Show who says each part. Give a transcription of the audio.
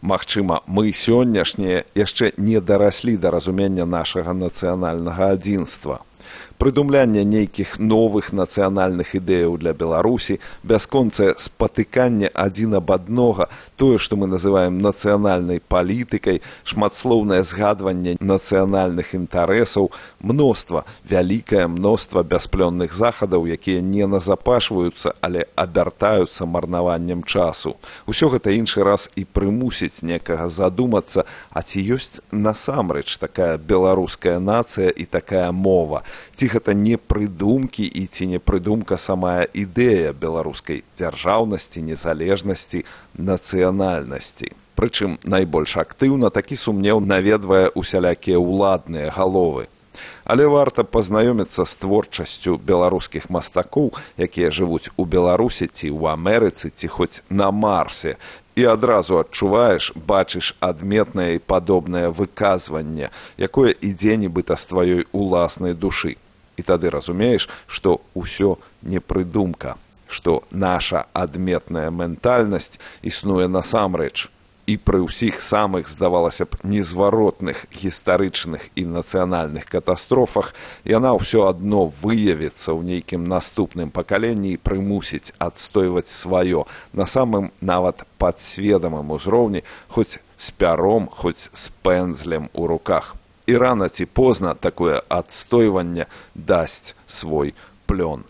Speaker 1: Магчыма, мы сённяшнія яшчэ не дараслі да разумення нашага нацыянальнага адзінства. Прыдумлянне нейкіх новых нацыянальных ідэяў для Беларусі, бясконцае спатыканне адзін аб аднога, тое, што мы называем нацыянальнай палітыкай, шматслоўнае згадванне нацыянальных інтарэсаў, вялікае мноства бясплённых захадаў, якія не назапашваюцца, але абяртаюцца марнаваннем часу. Усё гэта іншы раз і прымусіць некага задумацца, а ці ёсць насамрэч такая беларуская нацыя і такая мова? Ці гэта не прыдумкі і ці не прыдумка самая ідэя беларускай дзяржаўнасці, незалежнасці, нацыянальнасці. Прычым найбольш актыўна такі сумнеў наведвае усялякія ўладныя галовы. Але варта пазнаёміцца з творчасцю беларускіх мастакоў, якія жывуць у Беларусі ці ў Амерыцы, ці хоць на Марсе, і адразу адчуваеш, бачыш адметнае і падобнае выказванне, якое ідзе нібыта з тваёй уласнай душы. І тады разумееш, што ўсё не прыдумка, што наша адметная ментальнасць існуе насамрэч. І пры ўсіх самых, здавалася б, незваротных гістарычных і нацыянальных катастрофах яна ўсё адно выявіцца ў нейкім наступным пакаленні і прымусіць адстойваць сваё на самым нават падсведамым узроўні, хоць з пяром, хоць з пэндзлем у руках. І рана ці позна такое адстойванне дасць свой плён.